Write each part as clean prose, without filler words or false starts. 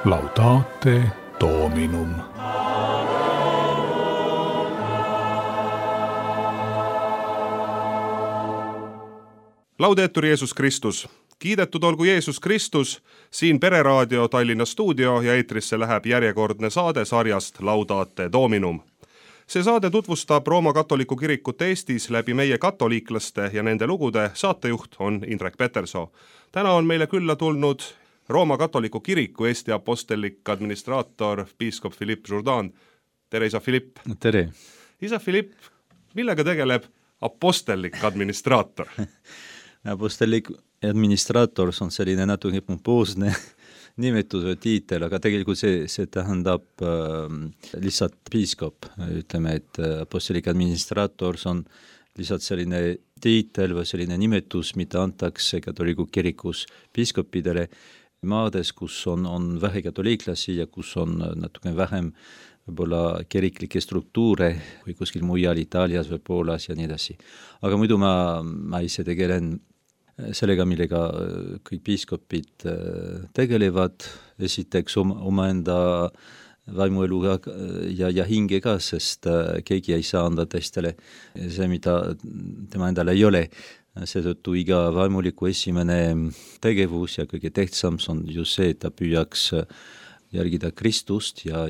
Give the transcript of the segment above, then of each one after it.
Laudate Dominum. Laudetur Jeesus Kristus. Kiidetud olgu Jeesus Kristus, siin Pereraadio Tallinna stuudio ja eetrisse läheb järjekordne saade sarjast Laudate Dominum. See saade tutvustab Rooma katoliku kirikut Eestis läbi meie katoliiklaste ja nende lugude. Saatejuht on Indrek Petersoo. Täna on meile külla tulnud Rooma katoliku kiriku Eesti apostellik administraator piiskop Philippe Jourdan. Tere, isa Philippe. Tere. Isa Philippe, millega tegeleb apostellik administraator? Apostellik administraator on selline natuke pompoosne nimetus või tiitel, aga tegelikult see tähendab lihtsalt piiskop. Ütleme, et apostellik administraator on lihtsalt selline tiitel või selline nimetus, mida antakse katoliku kirikus piiskopidele maades, kus on vähe katoliiklasi ja kus on natuke vähem võib-olla kiriklikke struktuure või kuskil mujal Itaalias või Poolas ja nii edasi. Aga muidu ma ise tegelen sellega, millega kõik piiskopid tegelevad, esiteks omaenda vaimueluga ja hingega, sest keegi ei saa anda teistele see, mida tema endale ei ole. Seetõttu iga vaimuliku esimene tegevus ja kõige tähtsam on just see, et ta püüaks järgida Kristust ja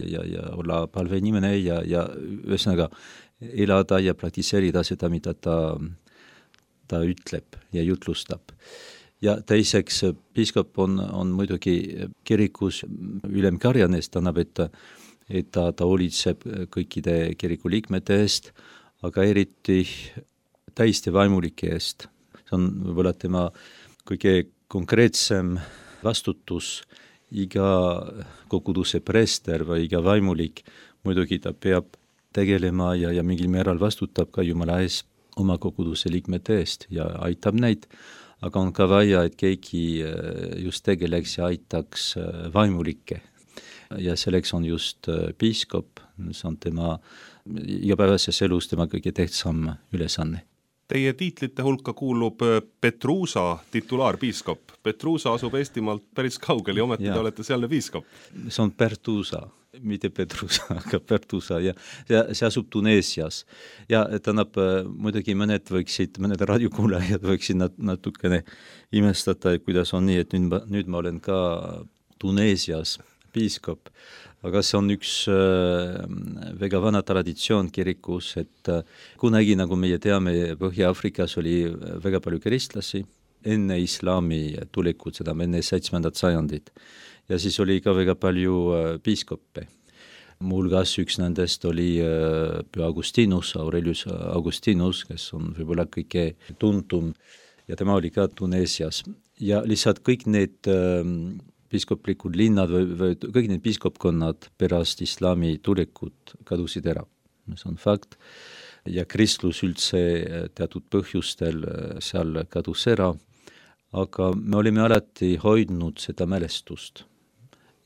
olla palveinimene ja ühesõnaga elada ja praktiseerida seda, mida ta ütleb ja jutlustab. Ja teiseks, piiskop on muidugi kirikus ülemkarjanes, tähendab, et ta hoolitseb kõikide kiriku liikmete eest, aga eriti täiesti vaimulike eest. See on võib-olla tema kõige konkreetsem vastutus. Iga koguduse preester või iga vaimulik muidugi ta peab tegelema ja mingil määral vastutab ka Jumala ees oma koguduse liikmete eest ja aitab neid, aga on ka vaja, et keegi just tegeleks ja aitaks vaimulikke. Ja selleks on just piiskop, see on tema igapäevases elus tema kõige tähtsam ülesanne. Teie tiitlite hulka kuulub Petruusa titulaarpiiskop. Petruusa asub Eestimaalt päris kaugel ja ometi te olete sealne piiskop. See on Pertuusa, mitte Petruusa, aga Pertuusa ja see asub Tuneesias. Ja tähendab, muidugi mõned raadiokuulajad võiksid natukene imestada, kuidas on nii, et nüüd ma olen ka Tuneesias piiskop. Aga see on üks väga vana traditsioon kirikus, et kunagi, nagu meie teame, Põhja-Afrikas oli väga palju kristlasi enne islami tulekut, seda enne 7. sajandit. Ja siis oli ka väga palju piiskoppe. Muuhulgas üks nendest oli Püha Augustinus, Aurelius Augustinus, kes on võib-olla kõige tuntum ja tema oli ka Tuneesias. Ja lihtsalt kõik need piiskoplikud linnad või kõik need piiskopkonnad pärast islami tulekut kadusid ära. See on fakt. Ja kristlus üldse teatud põhjustel seal kadus ära, aga me olime alati hoidnud seda mälestust.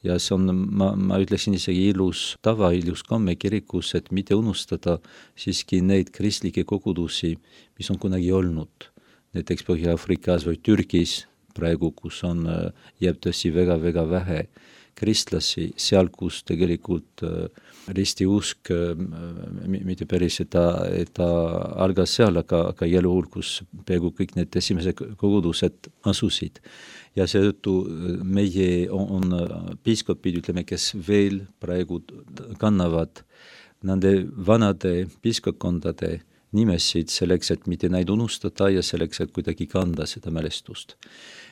Ja see on, ma ütleksin isegi ilus tava, ilus komme kirikus, et mitte unustada siiski neid kristlikke kogudusi, mis on kunagi olnud. Näiteks Põhja-Afrikas või Türgis, praegu, kus on jääbtõsi väga-väga vähe kristlasi, seal, kus tegelikult ristiusk, mitte päris, et ta algas seal, aga jäljuhul, kus peaaegu kõik need esimesed kogudused asusid. Ja seetõttu meie on piiskopid, ütleme, kes veel praegu kannavad nende vanade piiskopkondade nimesid selleks, et mitte neid unustada ja selleks, et kuidagi kanda seda mälestust.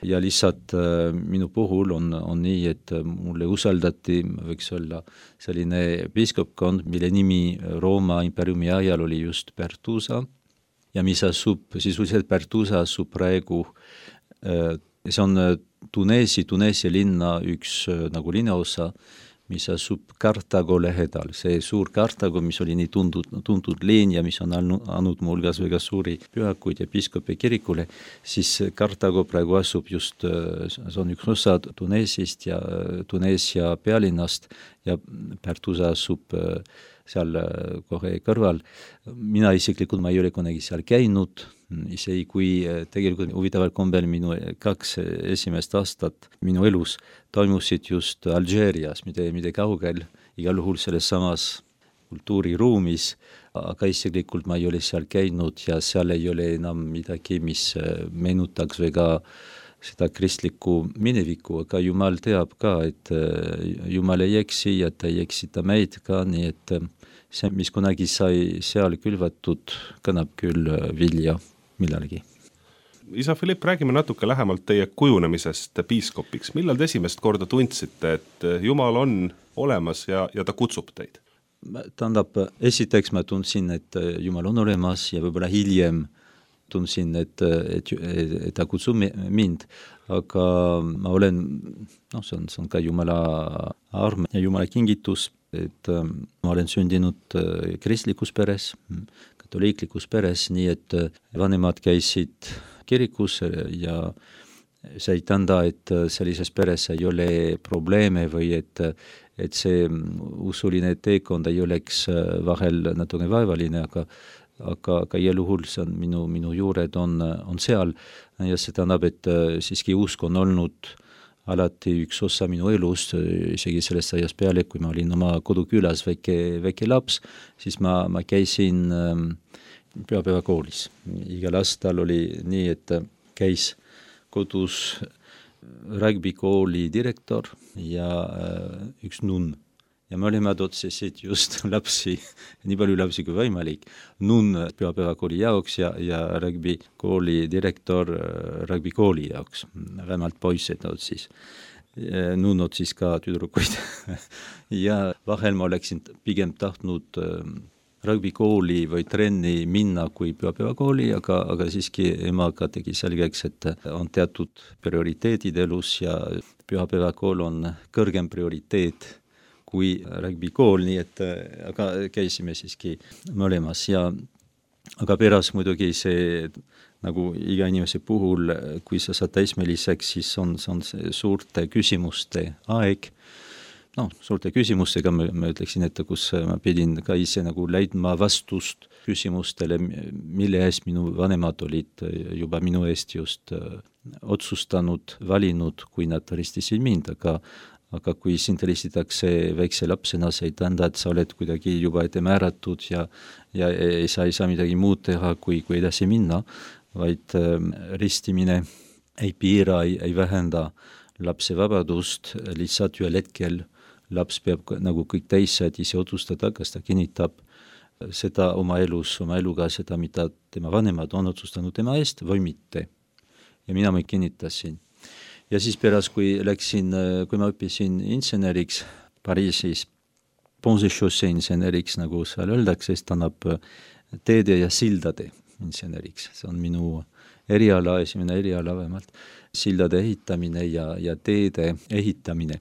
Ja lihtsalt minu puhul on nii, et mulle usaldati, võiks olla selline piiskopkond, mille nimi Rooma imperiumi ajal oli just Pertuusa ja mis asub, sisuliselt Pertuusa asub praegu, see on Tuneesia linna üks nagu linnaosa, mis asub Kartago lähedal. See suur Kartago, mis oli nii tuntud linn ja mis on andnud muuhulgas väga suuri pühakuid ja piiskopi kirikule, siis Kartago praegu asub just, see on üks osa Tuneesist ja Tuneesia pealinnast ja Pertuusa asub seal kohe kõrval. Mina isiklikult ma ei ole kunagi seal käinud, isegi kui tegelikult huvitaval kombel minu 2 esimest aastat minu elus toimusid just Alžeerias, mitte kaugel, igal juhul selles samas kultuuriruumis, aga isiklikult ma ei ole seal käinud ja seal ei ole enam midagi, mis meenutaks väga seda kristlikku minevikku, aga Jumal teab ka, et Jumal ei eksi ja ta ei eksita meid ka, nii et see, mis kunagi sai seal külvatud, kannab küll vilja millalgi. Isa Philipp, räägime natuke lähemalt teie kujunemisest piiskopiks. Millal te esimest korda tundsite, et Jumal on olemas ja ta kutsub teid? Tähendab, esiteks ma tundsin, et Jumal on olemas ja võib-olla hiljem tundsin, et ta kutsub mind, aga ma olen, see on ka Jumala arm ja Jumala kingitus, et ma olen sündinud kristlikus peres, katoliiklikus peres, nii et vanemad käisid kirikus ja see ei tähenda, et sellises peres ei ole probleeme või et see usuline teekond ei oleks vahel natuke vaevaline, aga igal juhul see on minu juured on seal ja see tähendab, et siiski usk on olnud alati üks osa minu elust, isegi sellest ajast peale, kui ma olin oma kodukülas väike laps, siis ma käisin pühapäevakoolis. Igal aastal oli nii, et käis kodus rugbikooli direktor ja üks nunn. Ja me olime otsisid just lapsi, nii palju lapsi kui võimalik, nunn pühapäevakooli jaoks ja rugbikooli direktor rugbikooli jaoks, vähemalt poised otsis. Nunn otsis ka tüdrukuid ja vahel ma oleksin pigem tahtnud rugbikooli või trenni minna kui pühapäevakooli, aga siiski emaga tegi selgeks, et on teatud prioriteedid elus ja pühapäevakool on kõrgem prioriteet kui rugbikool, nii et aga käisime siiski mõlemas ja aga pärast muidugi see nagu iga inimese puhul, kui sa saad täismeliseks, siis on see suurte küsimuste aeg. Suurte küsimustega ma ütleksin, et kus ma pidin ka ise nagu leidma vastust küsimustele, mille eest minu vanemad olid juba minu eest just otsustanud, valinud, kui nad ristisid mind, aga kui sind ristitakse väikse lapsena, see ei tähenda, et sa oled kuidagi juba ette määratud ja sa ei saa midagi muud teha, kui edasi minna, vaid ristimine ei piira, ei vähenda lapse vabadust, lihtsalt ühel hetkel laps peab nagu kõik teised ise otsustada, kas ta kinnitab seda oma eluga, seda, mida tema vanemad on otsustanud tema eest või mitte. Ja mina ma kinnitasin. Ja siis pärast, kui ma õppisin inseneriks Pariisis, Pont-Chaussee inseneriks, nagu seal öeldakse, siis annab teede ja sildade inseneriks. See on minu esimene eriala vähemalt, sildade ehitamine ja teede ehitamine.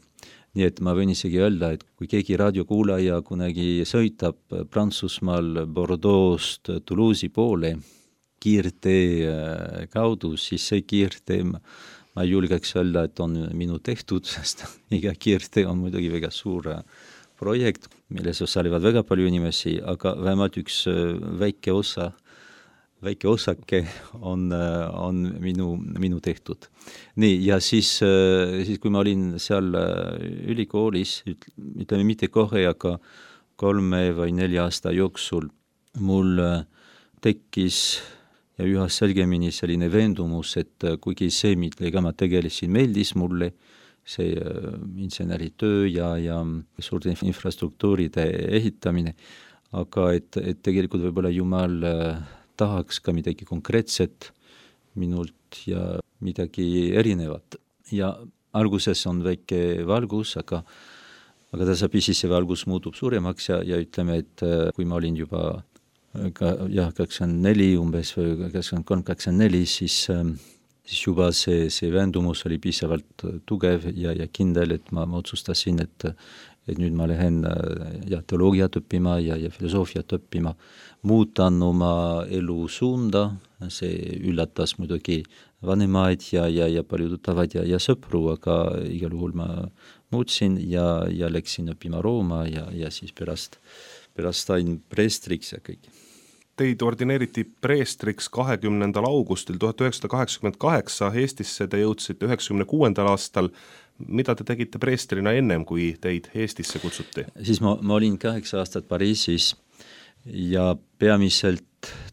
Nii et ma võin isegi öelda, et kui keegi raadiokuulaja kunagi sõitab Prantsusmaal Bordeaux'st Toulouse'i poole kiirtee kaudu, siis see kiirtee ma ei julgeks öelda, et on minu tehtud, sest iga kiirtee on muidugi väga suur projekt, milles osalevad väga palju inimesi, aga vähemalt üks väike osake on minu tehtud. Nii, ja siis kui ma olin seal ülikoolis, ütleme mitte kohe, aga 3 või 4 aasta jooksul mul tekkis ja üha selgemini selline veendumus, et kuigi see, millega ma tegelesin, meeldis mulle, see inseneritöö ja suurte infrastruktuuride ehitamine, aga et tegelikult võib-olla Jumal tahaks ka midagi konkreetset minult ja midagi erinevat. Ja alguses on väike valgus, aga tasapisi see valgus muutub suuremaks ja ütleme, et kui ma olin juba 24 umbes või 23-24, siis juba see veendumus oli piisavalt tugev ja kindel, et ma otsustasin, et nüüd ma lähen teoloogiat õppima ja filosoofiat õppima, muutan oma elu suunda, see üllatas muidugi vanemaid ja palju tuttavaid ja sõpru, aga igal juhul ma muutsin ja läksin õppima Rooma ja siis pärast pärast sain preestriks ja kõik. Teid ordineeriti preestriks 20. augustil 1988, Eestisse te jõudsite 96. aastal. Mida te tegite preestrina ennem, kui teid Eestisse kutsuti? Siis ma olin 8 aastat Pariisis ja peamiselt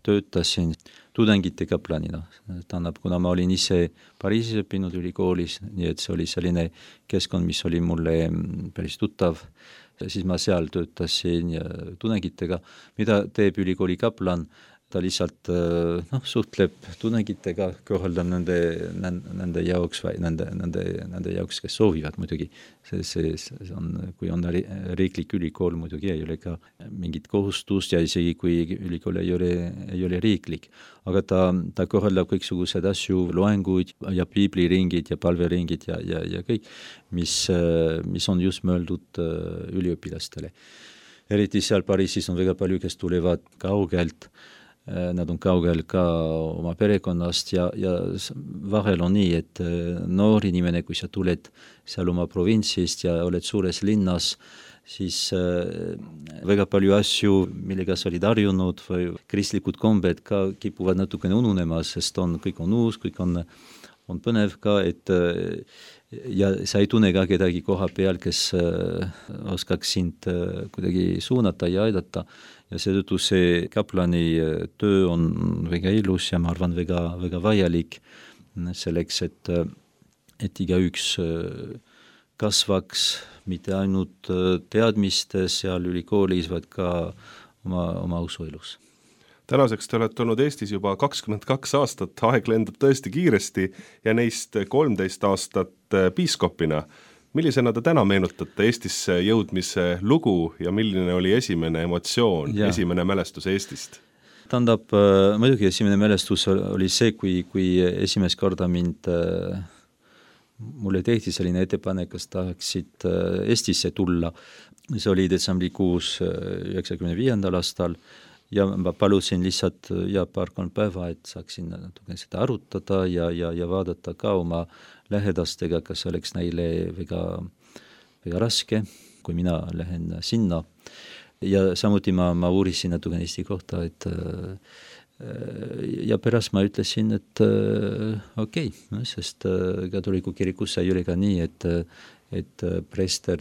töötasin tudengite kaplanina. Tähendab, kuna ma olin ise Pariisis õppinud ülikoolis, nii et see oli selline keskkond, mis oli mulle päris tuttav, siis ma seal töötasin tudengitega. Mida teeb ülikooli kaplan? Ta lihtsalt suhtleb tudengitega, kõrvaldab nende jaoks või nende jaoks, kes soovivad muidugi. See on, kui on riiklik ülikool, muidugi ei ole ka mingit kohustust ja isegi kui ülikool ei ole riiklik. Aga ta kõrvaldab kõiksugused asju, loenguid ja piibliringid ja palveringid ja kõik, mis on just mõeldud üliõpilastele. Eriti seal Pariisis on väga palju, kes tulevad kaugelt. Nad on kaugel ka oma perekonnast ja vahel on nii, et noor inimene, kui sa tuled seal oma provintsist ja oled suures linnas, siis väga palju asju, millega sa olid harjunud või kristlikud kombed ka kipuvad natukene ununema, sest kõik on uus, kõik on põnev ka, ja sa ei tunne ka kedagi koha peal, kes oskaks sind kuidagi suunata ja aidata. Ja seetõttu see kaplani töö on väga ilus ja ma arvan väga vajalik selleks, et igaüks kasvaks mitte ainult teadmistes seal ülikoolis, vaid ka oma usuelus. Tänaseks te olete olnud Eestis juba 22 aastat, aeg lendab tõesti kiiresti ja neist 13 aastat piiskopina. Millisena te täna meenutate Eestisse jõudmise lugu ja milline oli esimene emotsioon, esimene mälestus Eestist? Tähendab, muidugi esimene mälestus oli see, kui esimest korda mulle tehti selline ettepanek, kas tahaksid Eestisse tulla. See oli detsembrikuus 95. aastal ja ma palusin lihtsalt paar-kolm päeva, et saaksin natuke seda arutada ja vaadata ka oma lähedastega, kas oleks neile väga raske, kui mina lähen sinna. Ja samuti ma uurisin natuke Eesti kohta, ja pärast ma ütlesin, et okei, sest katoliku kirikus ei ole ka nii, et preester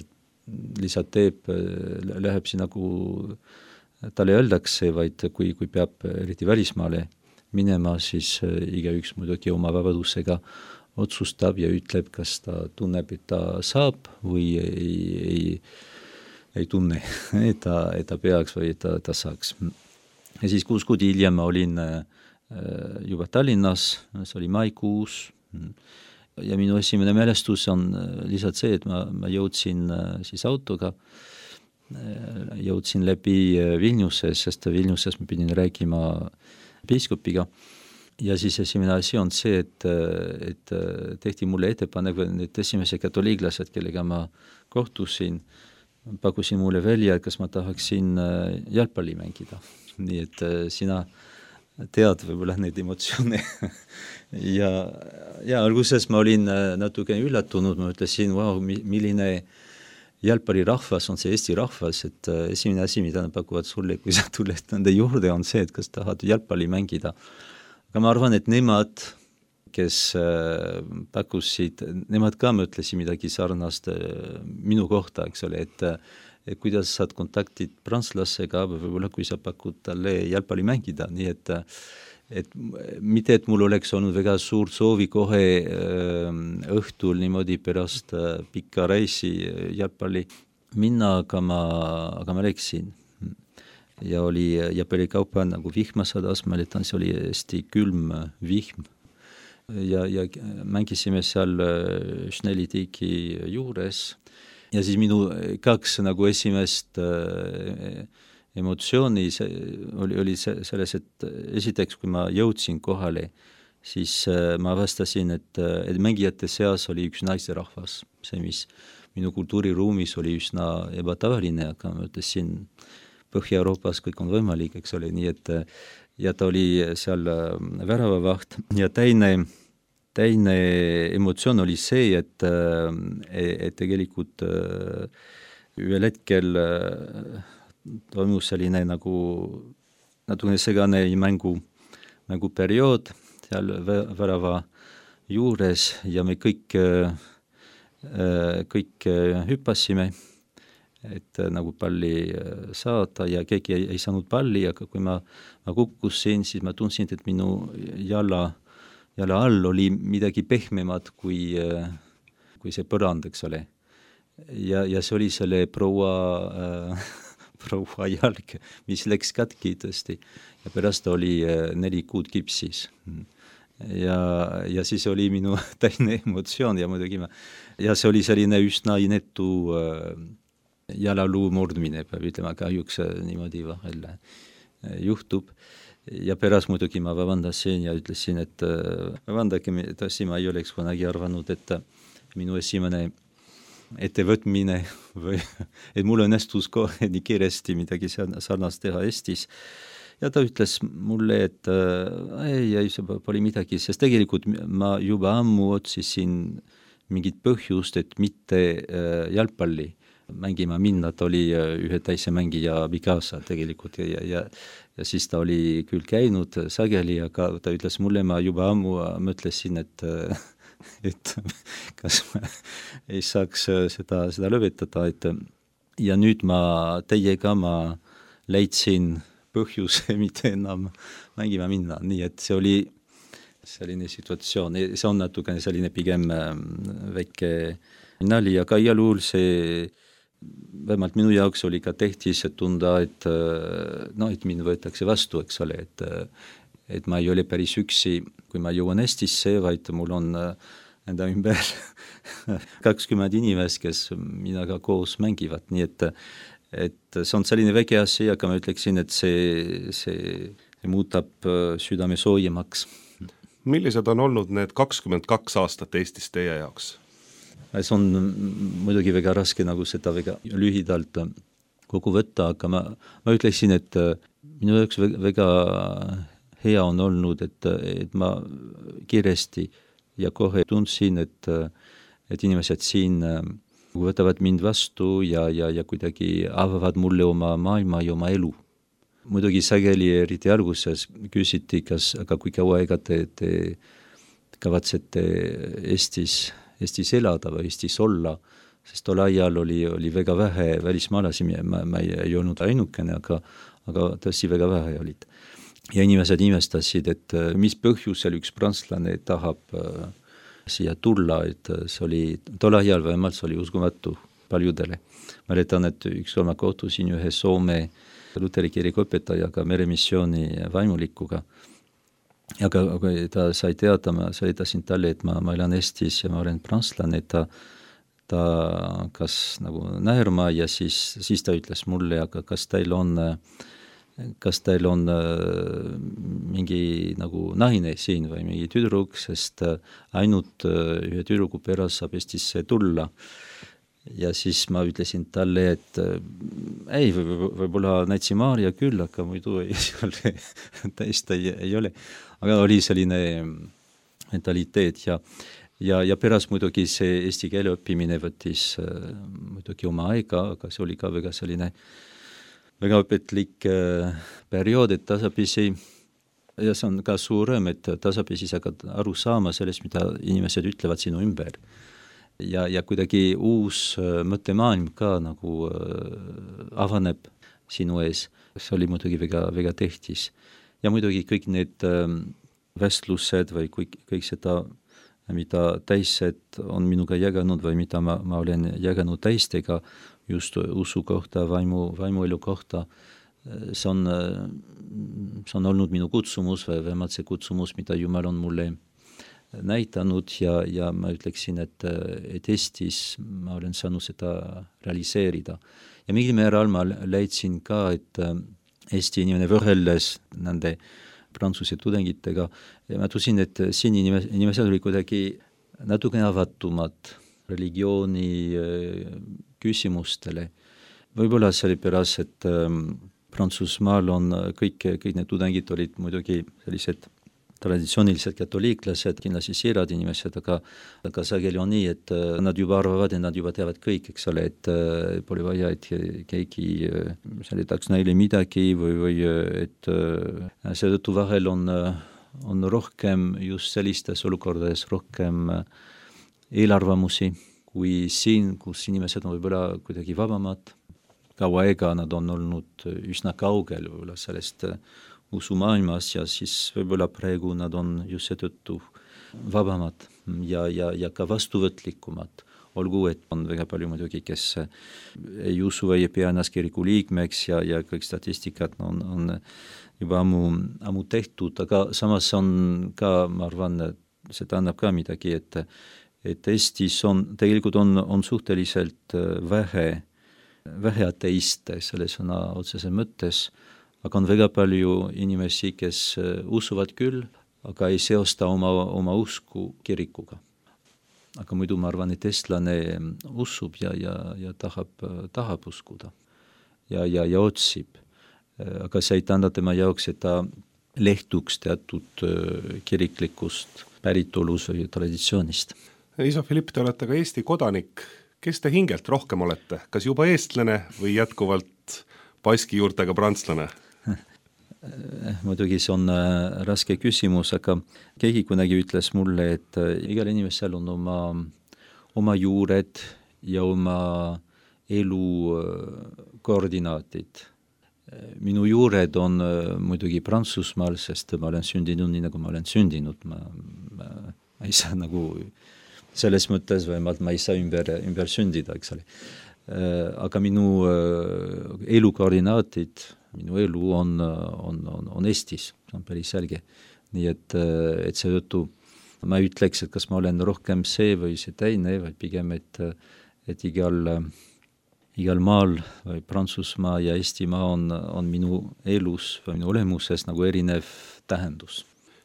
lihtsalt läheb siin nagu talle öeldakse, vaid kui peab eriti välismaale minema, siis igaüks muidugi oma vabadusega otsustab ja ütleb, kas ta tunneb, et ta saab või ei tunne, et ta peaks või et ta saaks. Ja siis 6 kuud hiljem ma olin juba Tallinnas, see oli maikuus ja minu esimene mälestus on lihtsalt see, et ma jõudsin siis autoga, jõudsin läbi Vilniuses, sest Vilniuses ma pidin rääkima piiskopiga. Ja siis esimene asi on see, et tehti mulle ettepanek, need esimese katoliiklased, kellega ma kohtusin, pakkusin mulle välja, et kas ma tahaksin jalgpalli mängida. Nii et sina tead võib-olla neid emotsioone. ja alguses ma olin natuke üllatunud, ma ütlesin, milline jalgpallirahvas on see Eesti rahvas, et esimene asi, mida nad pakuvad sulle, kui sa tuled nende juurde, on see, et kas tahad jalgpalli mängida. Aga ma arvan, et nemad, kes pakkusid, nemad ka mõtlesid midagi sarnast minu kohta, eks ole, et kuidas saad kontaktid prantslasega, võib-olla kui sa pakud talle jalgpalli mängida, nii et mitte, et mul oleks olnud väga suur soovi kohe õhtul niimoodi pärast pikka reisi jalgpalli minna, aga ma läksin. Ja perekaupa nagu vihma sadas, mäletan, see oli hästi külm vihm ja mängisime seal Schnellitiki juures ja siis minu 2 nagu esimest emotsiooni oli selles, et esiteks, kui ma jõudsin kohale, siis ma avastasin, et mängijate seas oli üks naisterahvas, see, mis minu kultuuriruumis oli üsna ebatavaline, aga ma ütlesin, Põhja-Euroopas kõik on võimalik, eks ole, nii et ja ta oli seal väravavaht ja teine emotsioon oli see, et tegelikult ühel hetkel toimus selline natukene segane mänguperiood seal värava juures ja me kõik hüppasime, et nagu palli saada ja keegi ei saanud palli, aga kui ma kukkusin, siis ma tundsin, et minu jala all oli midagi pehmemat kui see põrand, eks ole. Ja see oli selle proua jalg, mis läks katki tõesti. Ja pärast oli 4 kuud kipsis. Ja siis oli minu täine emotsioon ja muidugi ja see oli selline üsna inetu jalaluu murdmine, peab ütlema, kahjuks niimoodi vahel juhtub. Ja pärast muidugi ma vabandasin ja ütlesin, et vabandage, tõesti ma ei oleks kunagi arvanud, et minu esimene ettevõtmine või et mul õnnestus kohe nii kiiresti midagi sarnast teha Eestis. Ja ta ütles mulle, et ei, see pole midagi, sest tegelikult ma juba ammu otsisin mingit põhjust, et mitte jalgpalli mängima minna, ta oli ühe täise mängija Bikasa tegelikult ja siis ta oli küll käinud sageli, aga ta ütles mulle, ma juba ammu mõtlesin, et kas ma ei saaks seda lõpetada, ja nüüd teiega ma leidsin põhjuse mitte enam mängima minna, nii et see oli selline situatsioon, see on natukene selline pigem väike nali, aga igal juhul see vähemalt minu jaoks oli ka tähtis, et tunda, et mind võetakse vastu, eks ole, et ma ei ole päris üksi, kui ma jõuan Eestisse, vaid mul on enda ümber 20 inimest, kes minaga koos mängivad, nii et see on selline väike asi, aga ma ütleksin, et see muudab südame soojemaks. Millised on olnud need 22 aastat Eestis teie jaoks? See on muidugi väga raske seda väga lühidalt kokku võtta, aga ma ütleksin, et minu jaoks väga hea on olnud, et ma kiiresti ja kohe tundsin, et inimesed siin võtavad mind vastu ja kuidagi avavad mulle oma maailma ja oma elu. Muidugi sageli eriti alguses küsiti, aga kui kaua aega te kavatsete Eestis elada või Eestis olla, sest tol ajal oli väga vähe välismaalasi, ma ei olnud ainukene, aga tõesti väga vähe olid. Ja inimesed imestasid, et mis põhjusel üks prantslane tahab siia tulla, et see oli tol ajal vähemalt, see oli uskumatu paljudele. Mäletan, et ükskord ma kohtusin ühe Soome Luteri kiriku õpetajaga, meremissiooni vaimulikuga. Aga ta sai teada, ma seletasin talle, et ma elan Eestis ja ma olen prantslane, ta kas näerma ja siis ta ütles mulle, aga kas teil on mingi naine siin või mingi tüdruk, sest ainult ühe tüdruku pärast saab Eestisse tulla. Ja siis ma ütlesin talle, et ei, võib-olla näitsi Maarja küll, aga muidu ei ole, täiesti ei ole. Aga oli selline mentaliteet ja pärast muidugi see eesti keele õppimine võttis muidugi oma aega, aga see oli ka väga selline väga õpetlik periood, et tasapisi, ja see on ka suurem, et tasapisi saad aru saama sellest, mida inimesed ütlevad sinu ümber. Ja kuidagi uus mõttemaailm ka avaneb sinu ees. See oli muidugi väga, väga tähtis. Ja muidugi kõik need vestlused või kõik seda, mida teised on minuga jaganud või mida ma olen jaganud teistega just usu kohta, vaimuelu kohta, see on olnud minu kutsumus või vähemalt see kutsumus, mida Jumal on mulle näitanud ja ma ütleksin, et Eestis ma olen saanud seda realiseerida. Ja mingil määral ma leidsin ka, et Eesti inimene võrreldes nende prantsuse tudengitega ja ma tusin, et siin inimesed oli kuidagi natukene avatumad religiooni küsimustele. Võib-olla sellepärast, et Prantsusmaal on kõik need tudengid olid muidugi sellised traditsioonilised katoliiklased, kindlasti siirad inimesed, aga sageli on nii, et nad juba arvavad, et nad juba teavad kõik, eks ole, et pole vaja, et keegi selitaks neile midagi või et seetõttu vahel on rohkem just sellistes olukordades rohkem eelarvamusi kui siin, kus inimesed on võib-olla kuidagi vabamad. Kaua aega nad on olnud üsna kaugel võib-olla sellest usumaailmas ja siis võib-olla praegu nad on just seetõttu vabamad ja ka vastuvõtlikumad. Olgu, et on väga palju muidugi, kes ei usu või ei pea ennast kiriku liikmeks ja kõik statistikat on juba ammu tehtud, aga samas on ka, ma arvan, see tähendab ka midagi, et Eestis tegelikult on suhteliselt vähe ateiste selle sõna otseses mõttes, aga on väga palju inimesi, kes usuvad küll, aga ei seosta oma usku kirikuga. Aga muidu ma arvan, et eestlane usub ja tahab uskuda ja otsib. Aga see ei tähenda tema jaoks, et ta lehtuks teatud kiriklikust päritolus või traditsioonist. Isa Philipp, te olete ka Eesti kodanik. Kes te hingelt rohkem olete? Kas juba eestlane või jätkuvalt paski juurtega prantslane? Muidugi see on raske küsimus, aga keegi kunagi ütles mulle, et igal inimesel on oma juured ja oma elu koordinaatid. Minu juured on muidugi Prantsusmaal, sest ma olen sündinud nii, nagu ma olen sündinud. Ma ei saa nagu selles mõttes vähemalt ma ei saa ümber sündida, eks ole. Aga minu elu koordinaatid, minu elu on Eestis, see on päris selge. Nii et seetõttu ma ütleks, et kas ma olen rohkem see või see teine, vaid pigem, et igal maal või Prantsusmaa ja Eestimaa on minu elus või minu olemuses nagu erinev tähendus.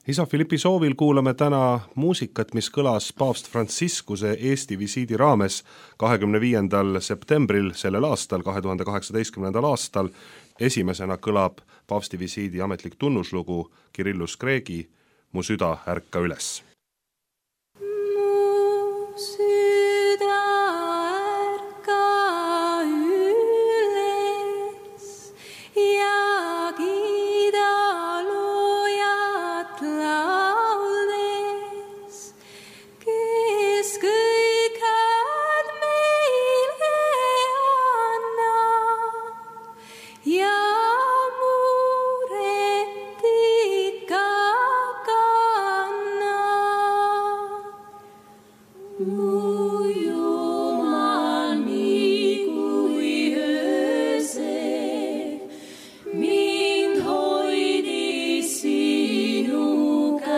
Isa Philippi soovil kuulame täna muusikat, mis kõlas paavst Franciscuse Eesti visiidi raames 25. septembril sellel aastal, 2018. aastal. Esimesena kõlab paavsti visiidi ametlik tunnuslugu Kirillus Kreegi Mu süda ärka üles. Mind hoidis sinu käes.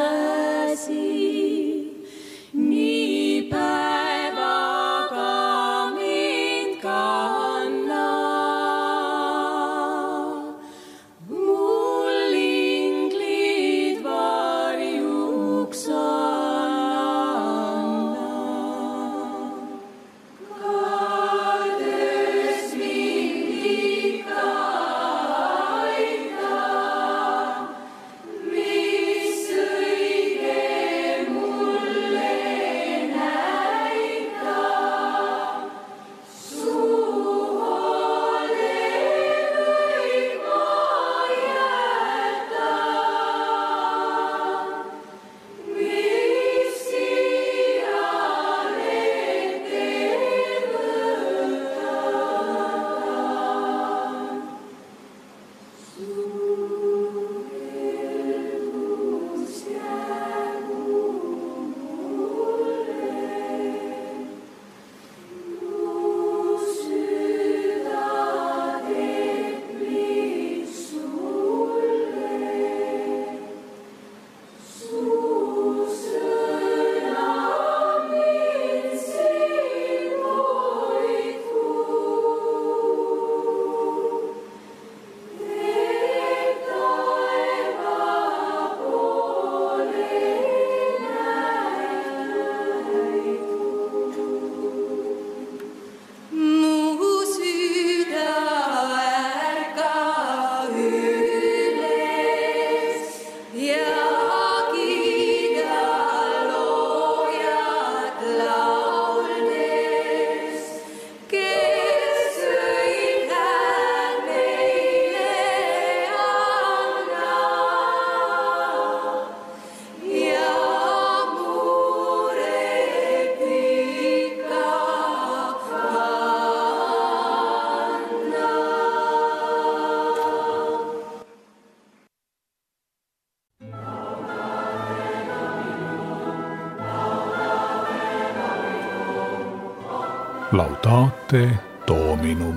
Laudate Dominum.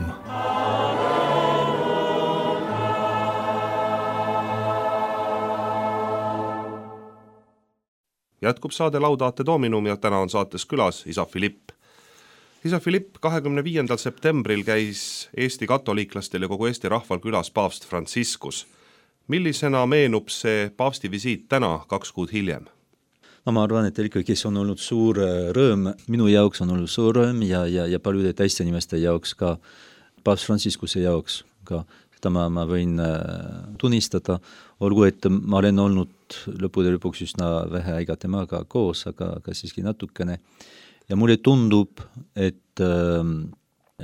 Jätkub saade Laudate Dominum ja täna on saates külas isa Philipp. Isa Philipp 25. septembril käis Eesti katoliiklastel ja kogu Eesti rahval külas paavst Franciscus. Millisena meenub see paavsti visiit täna 2 kuud hiljem? No ma arvan, et ikkagi see on olnud suur rõõm, minu jaoks on olnud suur rõõm ja paljude teiste inimeste jaoks ka, paavst Franciscuse jaoks ka, seda ma võin tunnistada, olgu, et ma olen olnud lõppude lõpuks üsna vähe aega temaga koos, aga siiski natukene. Ja mulle tundub, et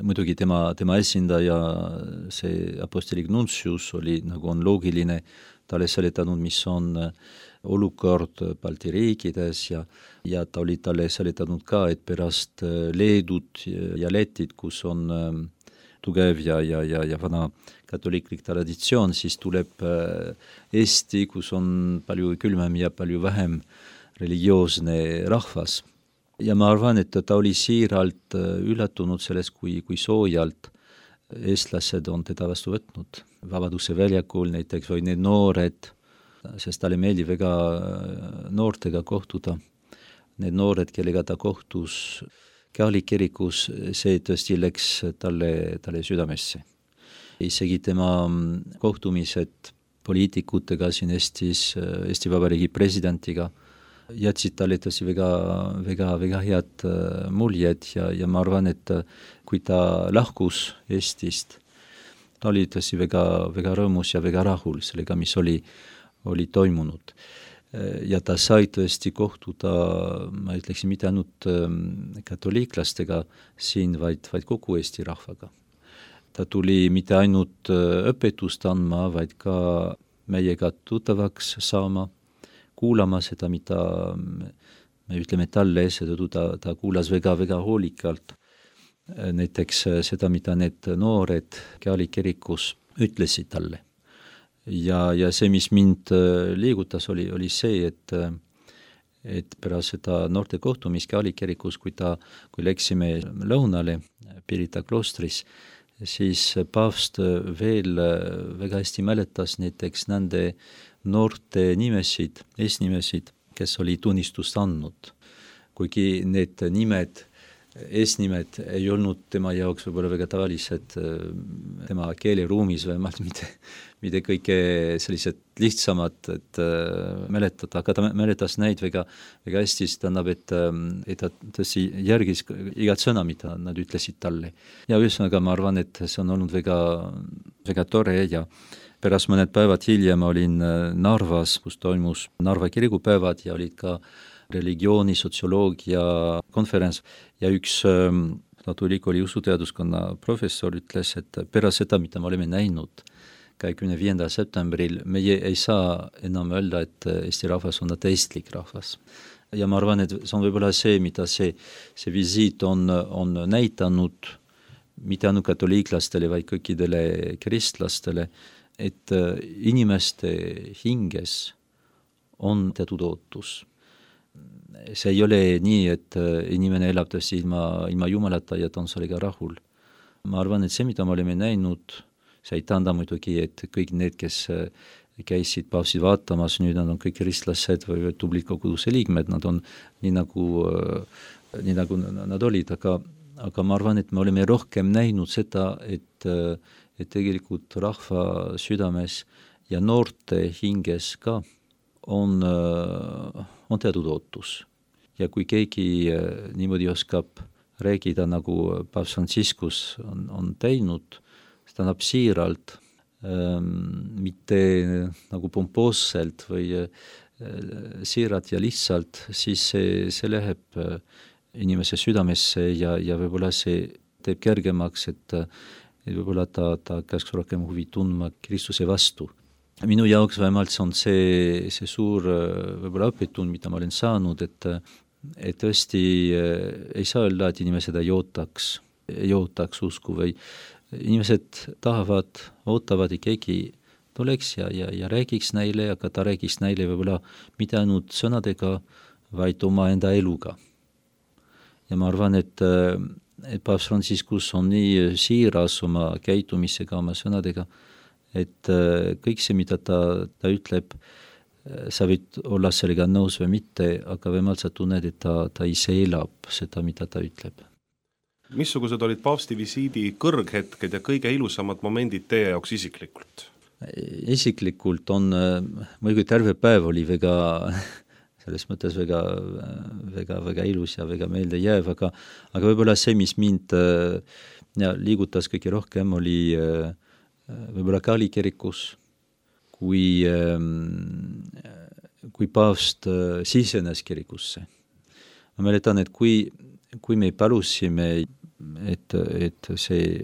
muidugi tema esindaja, see apostolik nuntius oli, nagu on loogiline, talle seletanud, mis on olukord Balti riikides ja ta oli talle seletanud ka, et pärast Leedut ja Lätit, kus on tugev ja vana katoliiklik traditsioon, siis tuleb Eesti, kus on palju külmem ja palju vähem religioosne rahvas. Ja ma arvan, et ta oli siiralt üllatunud sellest, kui soojalt eestlased on teda vastu võtnud. Vabaduse väljakul näiteks või need noored, sest talle meeldib väga noortega kohtuda. Need noored, kellega ta kohtus Catholic kirikus, see tõesti läks talle südamesse. Isegi tema kohtumised poliitikutega siin Eestis, Eesti Vabariigi presidentiga, jätsid talle tõesti väga head muljed ja ma arvan, et kui ta lahkus Eestist, ta oli tõesti väga rõõmus ja väga rahul sellega, mis oli toimunud. Ja ta sai tõesti kohtuda, ma ütleksin, mitte ainult katoliiklastega siin, vaid kogu Eesti rahvaga. Ta tuli mitte ainult õpetust andma, vaid ka meiega tuttavaks saama, kuulama seda, mida me ütleme talle, seda ta kuulas väga hoolikalt. Näiteks seda, mida need noored Catholic kirikus ütlesid talle. Ja see, mis mind liigutas, oli see, et pärast seda noorte kohtumist Catholic kirikus, kui läksime lõunale Pirita kloostris, siis paavst veel väga hästi mäletas näiteks nende noorte nimesid, eesnimesid, kes oli tunnistust andnud. Kuigi need nimed, eesnimed ei olnud tema jaoks võib-olla väga tavalised tema keeleruumis vähemalt mitte kõige sellised lihtsamad, et mäletada, aga ta mäletas neid väga hästi, sest tähendab, et ta tõesti järgis igat sõna, mida nad ütlesid talle. Ja ühesõnaga ma arvan, et see on olnud väga tore ja pärast mõned päevad hiljem olin Narvas, kus toimus Narva kirikupäevad ja olid ka religiooni, sotsioloogia konverents ja üks Tartu Ülikooli usuteaduskonna professor ütles, et pärast seda, mida me oleme näinud 25. septembril, meie ei saa enam öelda, et Eesti rahvas on ateistlik rahvas. Ja ma arvan, et see on võib-olla see, mida see visiit on näitanud mitte ainult katoliiklastele, vaid kõikidele kristlastele, et inimeste hinges on teatud ootus. See ei ole nii, et inimene elab tõesti ilma Jumalata ja ta on sellega rahul. Ma arvan, et see, mida me oleme näinud, see ei tähenda muidugi, et kõik need, kes käisid paavsti vaatamas, nüüd nad on kõik kristlased või tublid koguduse liikmed, nad on nii nagu nad olid, aga ma arvan, et me oleme rohkem näinud seda, et tegelikult rahva südames ja noorte hinges ka on teatud ootus. Ja kui keegi niimoodi oskab räägida, nagu paavst Franciscus on teinud, see tähendab siiralt, mitte nagu pompoosselt või siiralt ja lihtsalt, siis see läheb inimese südamesse ja võib-olla see teeb kergemaks, et võib-olla ta käiks rohkem huvi tundma Kristuse vastu. Minu jaoks vähemalt see on see suur võib-olla õpetund, mida ma olen saanud, et tõesti ei saa öelda, et inimesed ei ootaks usku või inimesed ootavad, et keegi tuleks ja räägiks neile, aga ta räägiks neile võib-olla mitte ainult sõnadega, vaid oma enda eluga. Ja ma arvan, et et paavst Franciscus on nii siiras oma käitumisega, oma sõnadega, et kõik see, mida ta ütleb, sa võid olla sellega nõus või mitte, aga vähemalt sa tunned, et ta ise elab seda, mida ta ütleb. Missugused olid paavsti visiidi kõrghetked ja kõige ilusamad momendid teie jaoks isiklikult? Isiklikult on, muidugi terve päev oli väga, selles mõttes väga ilus ja väga meelde jääv, aga võib-olla see, mis mind liigutas kõige rohkem, oli võib-olla Kali kirikus, kui paavst sisenes kirikusse. Ma mäletan, et kui me palusime, et see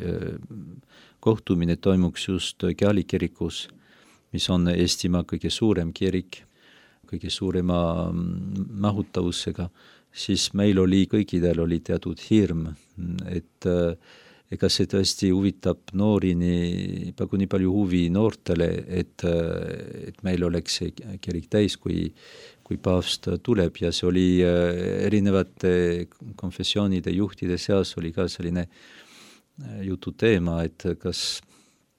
kohtumine toimuks just Kali kirikus, mis on Eestimaa kõige suurem kirik, kõige suurema mahutavusega, siis meil kõikidel oli teatud hirm, et ega see tõesti huvitab noori, pagu nii palju huvi noortele, et meil oleks see kirik täis, kui paavst tuleb, ja see oli erinevate konfessioonide juhtide seas oli ka selline jutu teema, et kas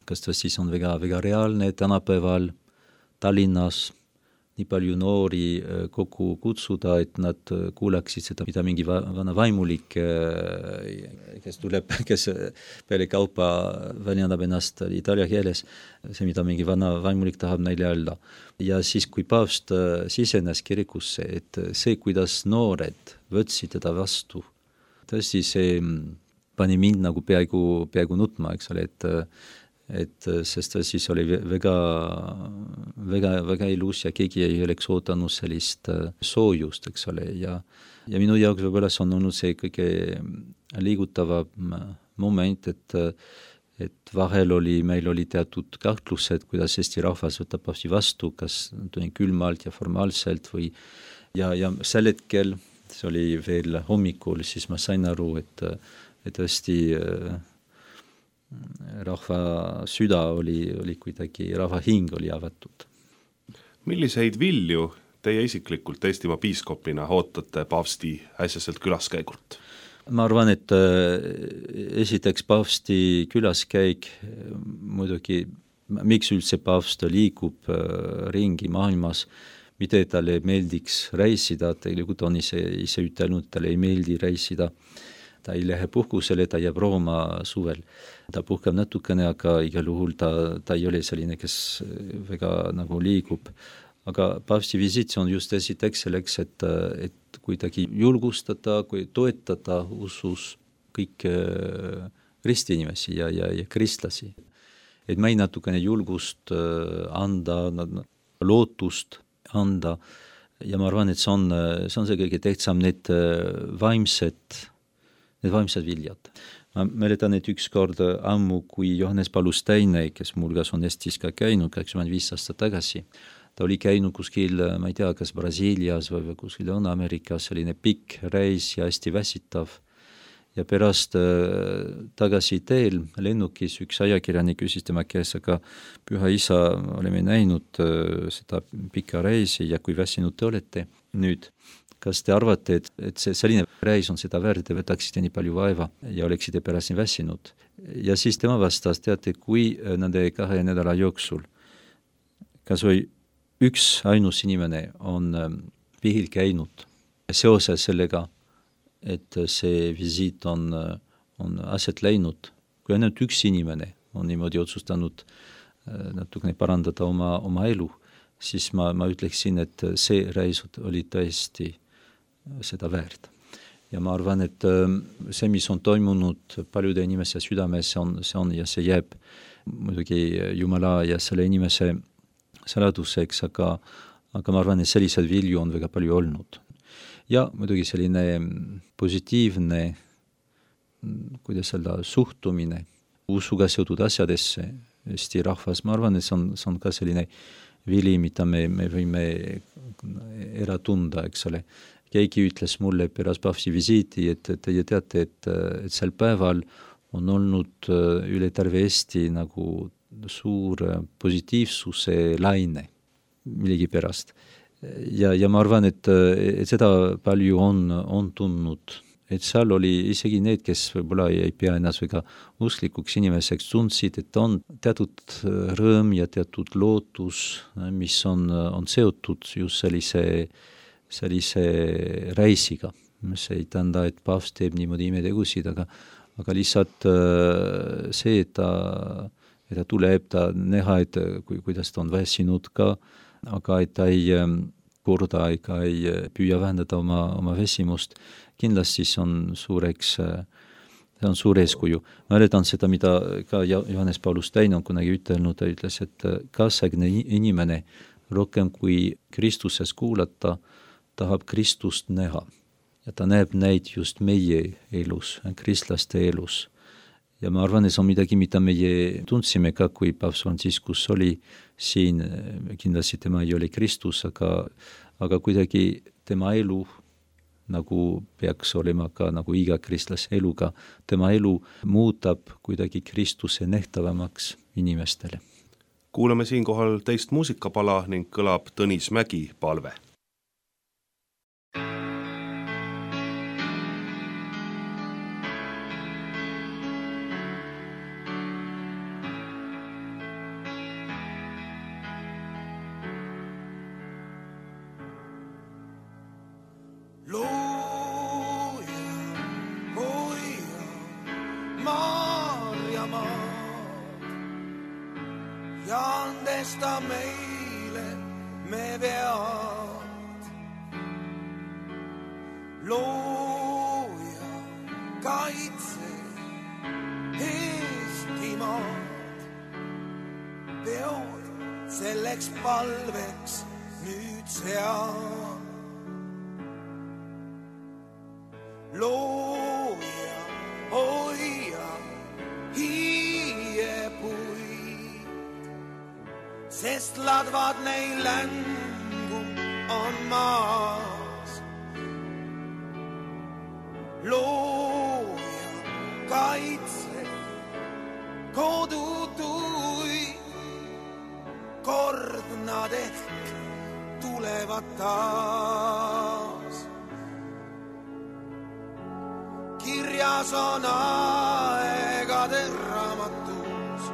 ta siis on väga reaalne tänapäeval Tallinnas nii palju noori kokku kutsuda, et nad kuulaksid seda, mida mingi vana vaimulik, kes tuleb, kes peale kaupa väljendab ennast itaalia keeles, see, mida mingi vana vaimulik tahab neile öelda. Ja siis, kui paavst sisenes kirikusse, et see, kuidas noored võtsid teda vastu, tõesti see pani mind nagu peaaegu nutma, eks ole, sest siis oli väga ilus ja keegi ei oleks ootanud sellist soojust, eks ole, ja minu jaoks võib-olla see on olnud see kõige liigutavam moment, et vahel meil oli teatud kahtlused, kuidas Eesti rahvas võtab paavsti vastu, kas külmalt ja formaalselt või ja sel hetkel, see oli veel hommikul, siis ma sain aru, et tõesti rahva süda oli kuidagi, rahva hing oli avatud. Milliseid vilju teie isiklikult Eestimaa piiskopina ootate paavsti äsjaselt külaskäigult? Ma arvan, et esiteks paavsti külaskäik, muidugi, miks üldse paavst liigub ringi maailmas, mida talle meeldiks reisida, tegelikult on ise ütelnud, talle ei meeldi reisida, ta ei lähe puhkusele, ta jääb Rooma suvel. Ta puhkab natukene, aga igal juhul ta ei ole selline, kes väga nagu liigub. Aga paavsti visiit on just esiteks selleks, et kuidagi julgustada, kui toetada usus kõik ristiinimesi ja kristlasi. Et meil natukene julgust anda, lootust anda ja ma arvan, et see on see kõige tähtsam, need vaimsed viljad. Ma mäletan, et ükskord ammu, kui Johannes Paulus II, kes mulgas on Eestis ka käinud 25 aastat tagasi, ta oli käinud kuskil, ma ei tea, kas Brasiilias või kuskil Lõuna-Ameerikas, selline pikk reis ja hästi väsitav. Ja pärast tagasi teel lennukis üks ajakirjanik küsis tema käes, aga Püha Isa, oleme näinud seda pikka reisi ja kui väsinud te olete nüüd. Kas te arvate, et see selline reis on seda väärt, te võtaksite nii palju vaeva ja oleksite pärast nii väsinud? Ja siis tema vastas, teate, kui nende 2 nädala jooksul kas või üks ainus inimene on vihil käinud seoses sellega, et see visiit on aset läinud, kui ainult üks inimene on niimoodi otsustanud natukene parandada oma elu, siis ma ütleksin, et see reis oli tõesti seda väärt. Ja ma arvan, et see, mis on toimunud paljude inimese südames, see on ja see jääb muidugi Jumala ja selle inimese saladuseks, aga ma arvan, et sellised vilju on väga palju olnud. Ja muidugi selline positiivne, kuidas öelda, suhtumine usuga seotud asjadesse Eesti rahvas, ma arvan, et see on ka selline vili, mida me võime ära tunda, eks ole. Keegi ütles mulle pärast paavsti visiiti, et teie teate, et sel päeval on olnud üle terve Eesti nagu suur positiivsuse laine millegi pärast. Ja ma arvan, et seda palju on tundnud et seal oli isegi need, kes võib-olla ei pea ennast väga usklikuks inimeseks, tundsid, et on teatud rõõm ja teatud lootus, mis on seotud just sellise reisiga. See ei tähenda, et paavst teeb niimoodi imetegusid, aga lihtsalt see, et ta tuleb, ta näha, et kuidas ta on väsinud ka, aga et ta ei korda ega ei püüa vähendada oma väsimust, kindlasti see on suur eeskuju. Mäletan seda, mida ka Johannes Paulus Teine on kunagi ütelnud, ta ütles, et kaasaegne inimene rohkem kui Kristuses kuulata, tahab Kristust näha. Ja ta näeb neid just meie elus, kristlaste elus. Ja ma arvan, et see on midagi, mida meie tundsime ka, kui paavst Franciscus oli siin, kindlasti tema ei ole Kristus, aga kuidagi tema elu nagu peaks olema ka nagu iga kristlase eluga, tema elu muudab kuidagi Kristuse nähtavamaks inimestele. Kuulame siinkohal teist muusikapala ning kõlab Tõnis Mägi palve. Ja andesta meile me vead. Looja, kaitse Eestimaad. Peod selleks palveks nüüd seal. Looja, hoia, hiiepuid. Sest ladvad neil längu on maas. Looja, kaitse, kodutuid, kord nad ehk tulevad taas. Kirjas on aegade raamatus,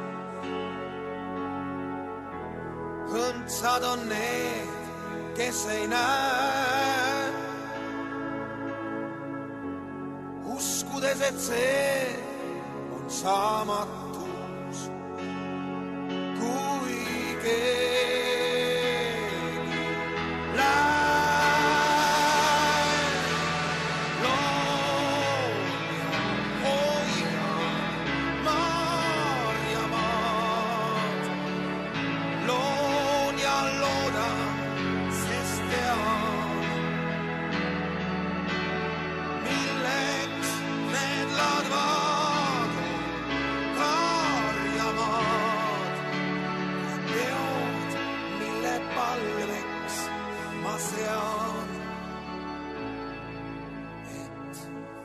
õndsad on need, kes ei näe, uskudes, et see on saamatus, kui keegi läheb.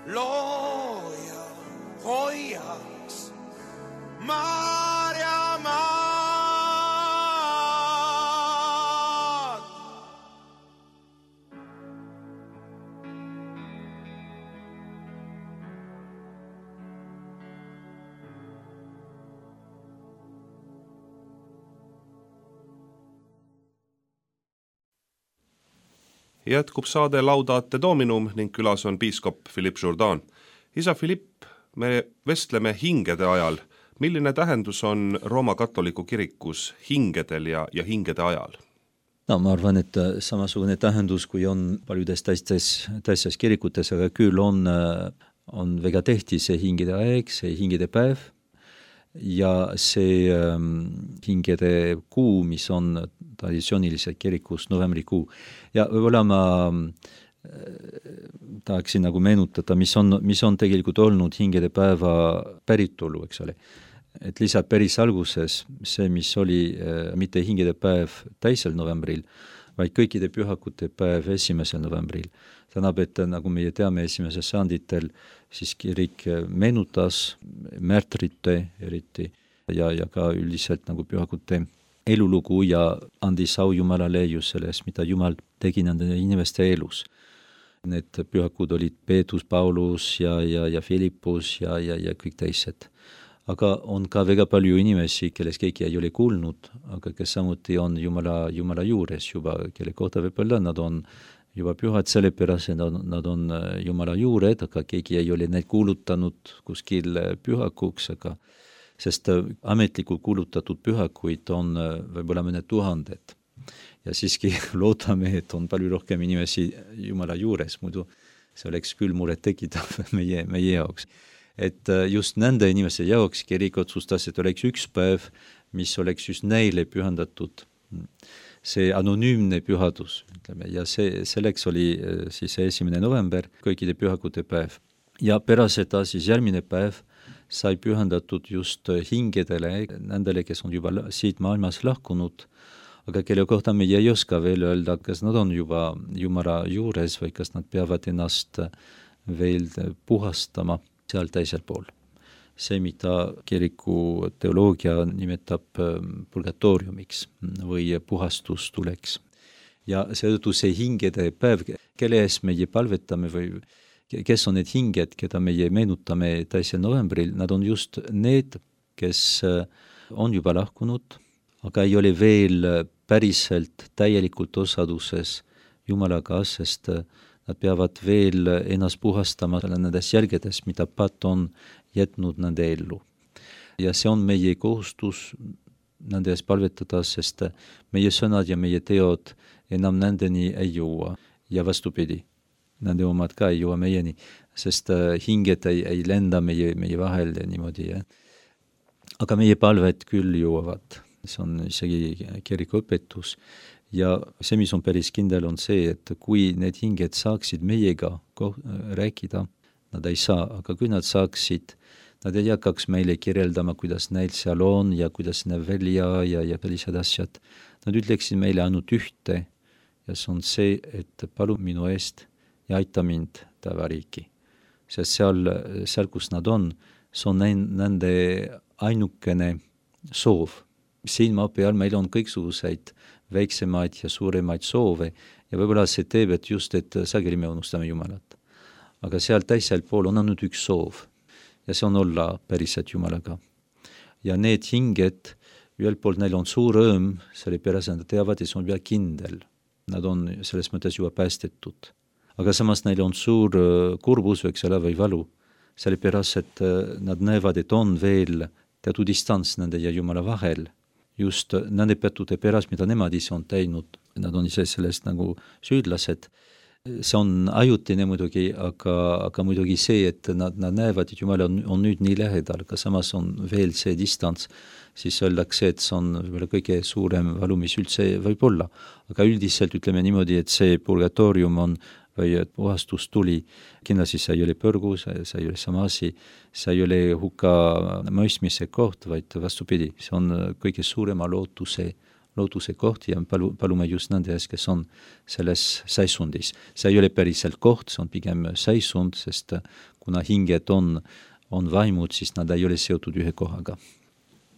Looja hoiaks Maarjamaad. Jätkub saade Laudate Dominum ning külas on piiskop Philippe Jourdan. Isa Philippe, me vestleme hingede ajal. Milline tähendus on Rooma katoliku kirikus hingedel ja hingede ajal? No, ma arvan, et samasugune tähendus, kui on paljudes teistes kirikutes, aga küll on väga tehti see hingede aeg, see hingede päev ja see hingede kuu, mis on traditsiooniliselt kirikus novembrikuu. Ja võib-olla ma tahaksin nagu meenutada, mis on tegelikult olnud hingede päeva päritolu, eks ole. Et lihtsalt päris alguses see, mis oli mitte hingede päev 2. novembril, vaid kõikide pühakute päev 1. novembril. Tähendab, et nagu meie teame 1. sajanditel, siis kirik meenutas märtrite eriti ja ka üldiselt nagu pühakute elulugu ja andis au Jumalale just sellest, mida Jumal tegi nende inimeste elus. Need pühakud olid Peetrus, Paulus ja Philippus ja kõik teised. Aga on ka väga palju inimesi, kellest keegi ei ole kuulnud, aga kes samuti on Jumala juures juba, kelle kohta võib-olla nad on juba pühad sellepärast, nad on Jumala juured, aga keegi ei ole neid kuulutanud kuskil pühakuks, sest ametlikult kuulutatud pühakuid on võib-olla mõned tuhanded. Ja siiski loodame, et on palju rohkem inimesi Jumala juures, muidu see oleks küll muret tekitav meie jaoks. Et just nende inimeste jaoks kirik otsustas, et oleks üks päev, mis oleks just neile pühendatud. See anonüümne pühadus, ütleme, ja selleks oli siis 1. november, kõikide pühakute päev. Ja pärast seda siis järgmine päev sai pühendatud just hingedele, nendele, kes on juba siit maailmas lahkunud, aga kelle kohta me ei oska veel öelda, kas nad on juba Jumala juures või kas nad peavad ennast veel puhastama seal teisel pool. See, mida kiriku teoloogia nimetab purgatoriumiks või puhastustuleks. Ja seetõttu see hingede päev, kelle ees meie palvetame või kes on need hinged, keda meie meenutame 2. novembril, nad on just need, kes on juba lahkunud, aga ei ole veel päriselt täielikult osaduses Jumalaga, sest nad peavad veel ennast puhastama nendes jälgedes, mida Paat on jätnud nende ellu. Ja see on meie kohustus nende ees palvetada, sest meie sõnad ja meie teod enam nendeni ei jõua. Ja vastupidi, nende omad ka ei jõua meieni, sest hinged ei lenda meie vahel niimoodi. Aga meie palved küll jõuavad. See on isegi kiriku õpetus. Ja see, mis on päris kindel, on see, et kui need hinged saaksid meiega rääkida, nad ei saa, aga kui nad saaksid, nad ei hakkaks meile kirjeldama, kuidas neil seal on ja kuidas näeb välja ja sellised asjad. Nad ütleksid meile ainult ühte ja see on see, et palu minu eest ja aita mind taevariiki. Sest seal, kus nad on, see on nende ainukene soov. Siin maa peal meil on kõiksuguseid väiksemaid ja suuremaid soove ja võib-olla see teeb, et just, et sageli me unustame Jumalat. Aga seal teisel pool on ainult üks soov ja see on olla päriselt Jumalaga. Ja need hinged, ühelt poolt neil on suur rõõm, sellepärast nad teavad, et see on vielä kindel. Nad on selles mõttes juba päästetud. Aga samas neil on suur kurbus või valu, sellepärast, et nad näevad, et on veel teatud distants nende ja Jumala vahel. Just nende pettude pärast, mida nemad ise on teinud, nad on ise sellest nagu süüdlased. See on ajutine muidugi, aga muidugi see, et nad näevad, et Jumal on nüüd nii lähedal, aga samas on veel see distants, siis öeldakse, et see on kõige suurem valu, mis üldse võib olla. Aga üldiselt ütleme niimoodi, et see purgatorium on või puhastus tuli. Kindlasti see ei ole põrgu, see ei ole sama asi, see ei ole hukka mõistmise koht, vaid vastupidi, see on kõige suurema lootuse koht ja palume just nende ees, kes on selles seisundis. See ei ole päriselt koht, see on pigem seisund, sest kuna hinged on vaimud, siis nad ei ole seotud ühe kohaga.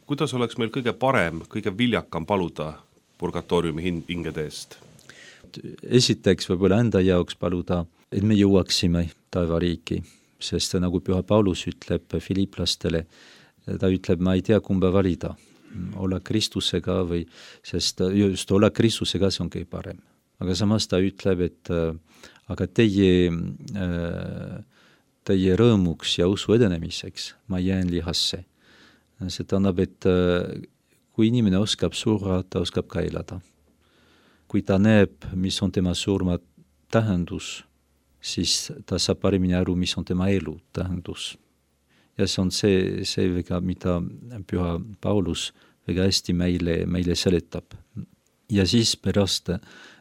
Kuidas oleks meil kõige parem, kõige viljakam paluda purgatoriumi hingede eest? Esiteks võib-olla enda jaoks paluda, et me jõuaksime taevariiki, sest nagu Püha Paulus ütleb Filiplastele, ta ütleb, ma ei tea kumba valida, olla Kristusega või, sest just olla Kristusega see on kõige parem. Aga samas ta ütleb, et aga teie rõõmuks ja usu edenemiseks ma jään lihasse. See tähendab, et kui inimene oskab surra, ta oskab ka elada. Kui ta näeb, mis on tema surma tähendus, siis ta saab paremini aru, mis on tema elu tähendus. Ja see on see väga, mida Püha Paulus väga hästi meile seletab. Ja siis pärast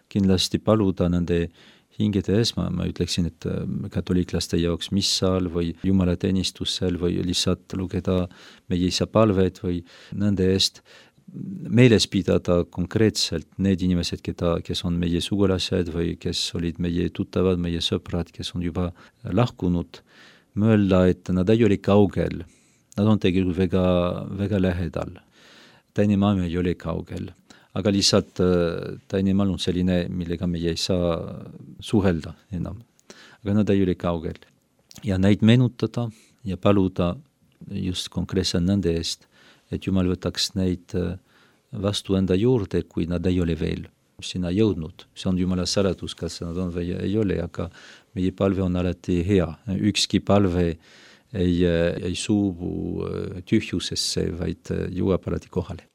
kindlasti paluda nende hingede ees, ma ütleksin, et katoliiklaste jaoks missal või jumalateenistusel või lihtsalt lugeda meie isa palved või nende eest meeles pidada konkreetselt need inimesed, kes on meie sugulased või kes olid meie tuttavad, meie sõprad, kes on juba lahkunud, mõelda, et nad ei ole kaugel. Nad on tegelikult väga, väga lähedal. Teine maailm ei ole kaugel. Aga lihtsalt teine maailm on selline, millega meie ei saa suhelda enam. aga nad ei ole kaugel. Ja neid meenutada ja paluda just konkreetselt nende eest, et Jumal võtaks neid vastu enda juurde, kui nad ei ole veel sinna jõudnud. See on Jumala saladus, kas nad on või ei ole, aga meie palve on alati hea. Ükski palve ei suubu tühjusesse, vaid jõuab alati kohale.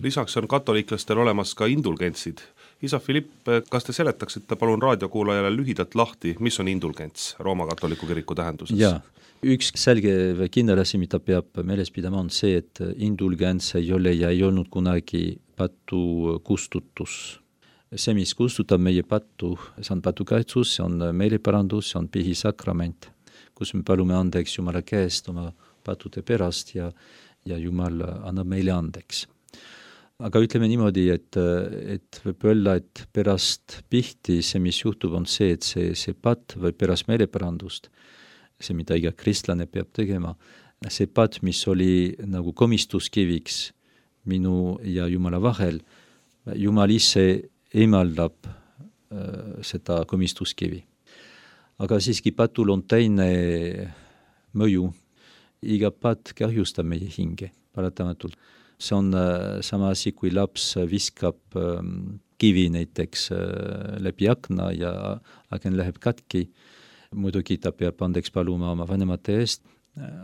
Lisaks on katoliklastel olemas ka indulgentsid. Isa Philipp, kas te seletaksite palun raadiokuulajale lühidalt lahti, mis on indulgents Rooma katoliku kiriku tähenduses? Jaa, üks selge või kindel asi, mida peab meeles pidama, on see, et indulgents ei ole ja ei olnud kunagi patu kustutus. See, mis kustutab meie patu, see on patukaitsus, see on meeleparandus, see on pihisakrament, kus me palume andeks Jumala käest oma patude pärast ja Jumal annab meile andeks. Aga ütleme niimoodi, et võib öelda, et pärast pihti see, mis juhtub, on see, et see pat või pärast meeleparandust, see, mida iga kristlane peab tegema, see pat, mis oli nagu komistuskiviks minu ja Jumala vahel, Jumal ise eemaldab seda komistuskivi. Aga siiski patul on teine mõju. Iga pat kahjustab meie hinge, paratamatult. See on sama asi, kui laps viskab kivi näiteks läbi akna ja aken läheb katki. Muidugi ta peab andeks paluma oma vanemate eest,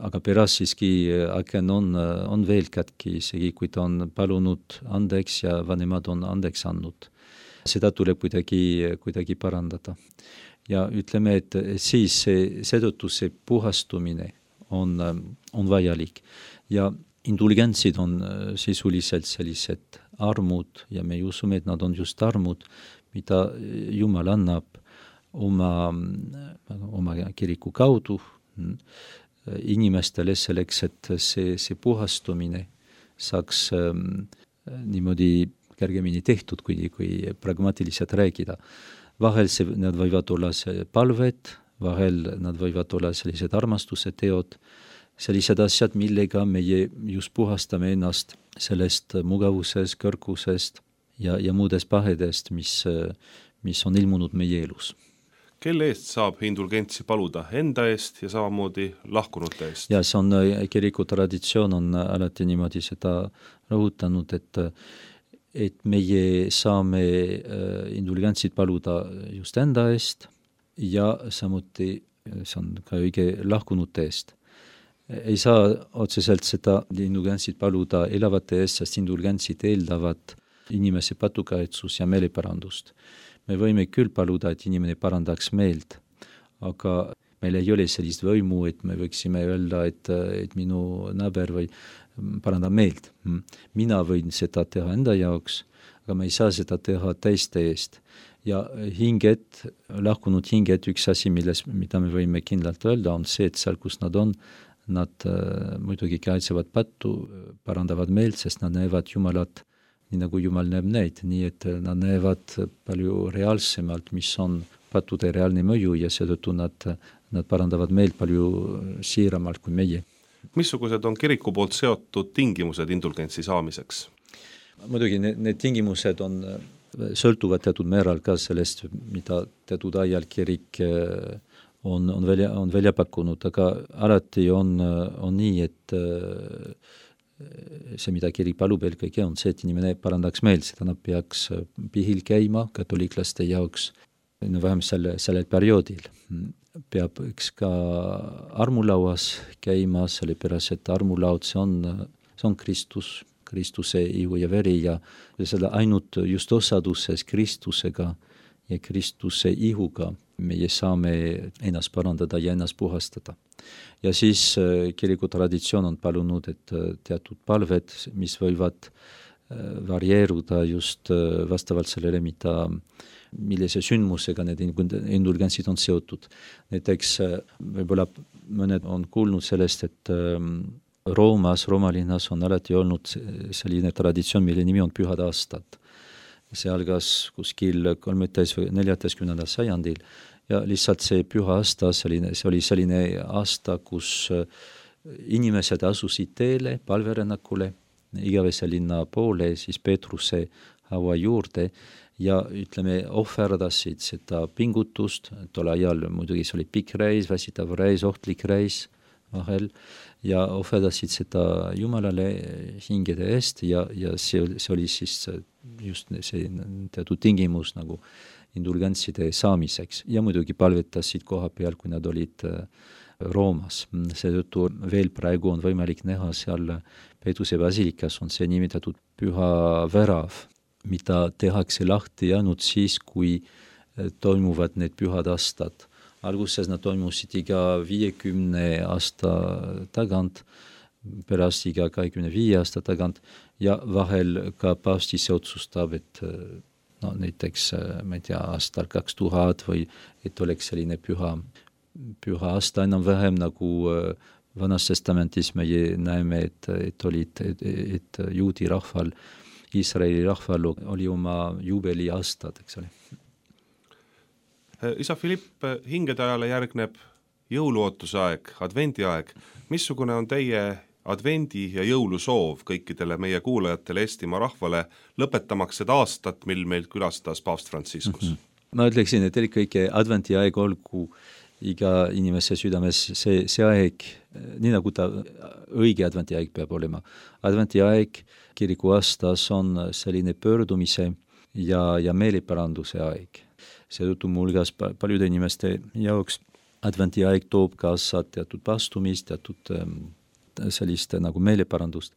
aga pärast siiski aken on veel katki, isegi kui ta on palunud andeks ja vanemad on andeks andnud. Seda tuleb kuidagi parandada. Ja ütleme, et siis seetõttu see puhastumine on vajalik. Ja indulgentsid on sisuliselt sellised armud ja me usume, et nad on just armud, mida Jumal annab oma kiriku kaudu inimestele selleks, et see puhastumine saaks niimoodi kergemini tehtud, kui pragmaatiliselt rääkida. Vahel nad võivad olla palved, vahel nad võivad olla sellised armastuse teod, sellised asjad, millega meie just puhastame ennast sellest mugavusest, kõrgusest ja muudest pahedest, mis on ilmunud meie elus. Kelle eest saab indulgentsi paluda? Enda eest ja samamoodi lahkunute eest? Ja see on kiriku traditsioon on alati niimoodi seda rõhutanud, et meie saame indulgentsid paluda just enda eest ja samuti see on ka õige lahkunute eest. Ei saa otseselt seda indulgentsid paluda elavate eest, sest indulgentsid eeldavad inimese patukaitsus ja meeleparandust. Me võime küll paluda, et inimene parandaks meelt, aga meil ei ole sellist võimu, et me võiksime öelda, et minu naaber või parandab meelt. Mina võin seda teha enda jaoks, aga ma ei saa seda teha teiste eest. Ja hinged, lahkunud hinged, üks asi, mida me võime kindlalt öelda, on see, et seal, kus nad on, nad muidugi kaitsevad pattu, parandavad meelt, sest nad näevad Jumalat, nii nagu Jumal näeb neid, nii et nad näevad palju reaalsemalt, mis on pattude reaalne mõju ja seetõttu nad parandavad meelt palju siiramalt kui meie. Missugused on kiriku poolt seotud tingimused indulgentsi saamiseks? Muidugi need tingimused sõltuvad teatud määral ka sellest, mida teatud ajal kirik on välja pakkunud, aga alati on nii, et see, mida kirik palub eelkõige, on see, et inimene parandaks meelt, seda nad peaks pihil käima katoliklaste jaoks, vähemalt sellel perioodil. Peab ka armulauas käima, sellepärast, et armulaud, see on Kristus, Kristuse ihu ja veri ja seda ainult just osaduses Kristusega ja Kristuse ihuga meie saame ennast parandada ja ennast puhastada. Ja siis kiriku traditsioon on palunud, et teatud palved, mis võivad varieeruda just vastavalt sellele, millise sündmusega need indulgentsid on seotud. Näiteks võib-olla mõned on kuulnud sellest, et Rooma linnas on alati olnud selline traditsioon, mille nimi on pühad aastad. See algas kuskil 13. või 14. sajandil ja lihtsalt see püha aasta, see oli selline aasta, kus inimesed asusid teele, palverännakule, igavese linna poole, siis Peetruse haua juurde ja ütleme, ohverdasid seda pingutust, tol ajal muidugi see oli pikk reis, väsitav reis, ohtlik reis vahel, ja ohverdasid seda Jumalale hingede eest ja see oli siis just see teatud tingimus nagu indulgentside saamiseks ja muidugi palvetasid koha peal, kui nad olid Roomas. Seetõttu veel praegu on võimalik näha seal Peetruse basilikas on see nimetatud püha värav, mida tehakse lahti ainult siis, kui toimuvad need pühad aastad. Alguses nad toimusid iga 50 aasta tagant, pärast iga 25 aasta tagant ja vahel ka paavst ise otsustab, et näiteks, ma ei tea, aastal 2000 või et oleks selline püha aasta enam-vähem nagu Vanas Testamentis me näeme, et juudi rahval, Iisraeli rahval oli oma juubeliaastad, eks ole. Isa Philipp, hingede ajale järgneb jõuluootuse aeg, advendiaeg. Missugune on teie advendi- ja jõulusoov kõikidele meie kuulajatele Eestimaa rahvale, lõpetamaks seda aastat, mil meil külastas paavst Franciscus? Ma ütleksin, et eelkõige advendiaeg olgu iga inimese südames see aeg, nii nagu ta õige adventiaeg peab olema. Adventiaeg kiriku aastas on selline pöördumise ja meeleparanduse aeg. Seetõttu mulgas paljude inimeste jaoks adventiaeg toob kaasa teatud pastumist, teatud sellist nagu meeleparandust.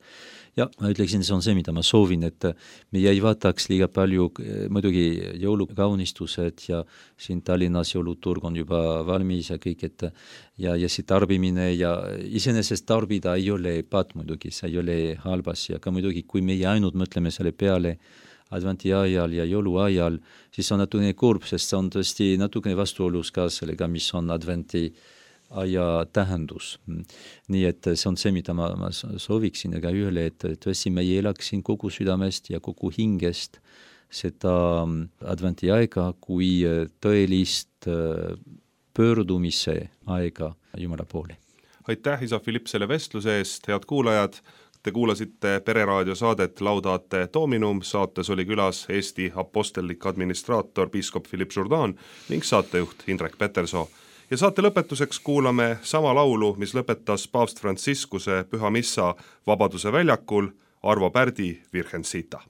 Ja ma ütleksin, see on see, mida ma soovin, et me ei vaataks liiga palju muidugi jõulukaunistused ja siin Tallinnas jõuluturg on juba valmis ja kõik, et ja see tarbimine ja iseenesest tarbida ei ole patt muidugi, see ei ole halbasi, aga muidugi kui meie ainult mõtleme selle peale adventi ajal ja jõuluajal, siis on natukene kurb, sest see on tõesti natukene vastuolus ka sellega, mis on adventi aja tähendus. Nii et see on see, mida ma sooviksin ega ühele, et tõesti me elaksin kogu südamest ja kogu hingest seda adventi aega kui tõelist pöördumise aega Jumala poole. Aitäh, isa Philipp, selle vestluse eest, head kuulajad! Te kuulasite Pereraadio saadet Laudate Dominum, saates oli külas Eesti apostellik administraator piiskop Philipp Jourdan ning saatejuht Indrek Petersoo. Ja saate lõpetuseks kuulame sama laulu, mis lõpetas paavst Franciscuse püha missa Vabaduse väljakul, Arvo Pärdi Virgencita.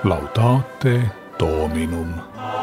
Laudate Dominum.